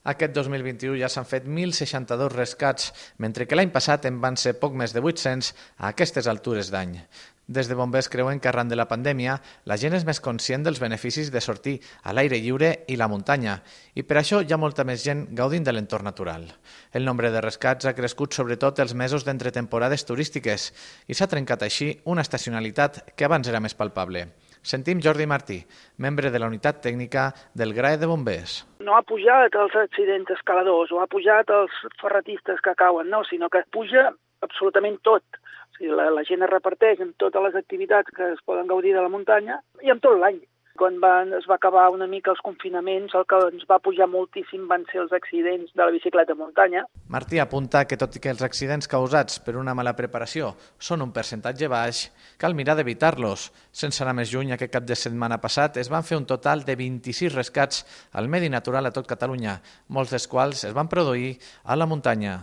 Aquest 2021 ja s'han fet 1.062 rescats, mentre que l'any passat en van ser poc més de 800 a aquestes altures d'any. Des de bombers creuen que arran de la pandèmia la gent és més conscient dels beneficis de sortir a l'aire lliure i la muntanya, i per això hi ha molta més gent gaudint de l'entorn natural. El nombre de rescats ha crescut sobretot els mesos d'entre temporades turístiques i s'ha trencat així una estacionalitat que abans era més palpable. Sentim Jordi Martí, membre de la unitat tècnica del GRAE de Bombers. No ha pujat els accidents escaladors o ha pujat els ferratistes que cauen, no, sinó que puja absolutament tot. O sigui, la gent es reparteix en totes les activitats que es poden gaudir de la muntanya i en tot l'any. Quan es va acabar una mica els confinaments, el que ens va pujar moltíssim van ser els accidents de la bicicleta de muntanya. Martí apunta que tot i que els accidents causats per una mala preparació són un percentatge baix, cal mirar d'evitar-los. Sense anar més lluny, aquest cap de setmana passat es van fer un total de 26 rescats al medi natural a tot Catalunya, molts dels quals es van produir a la muntanya.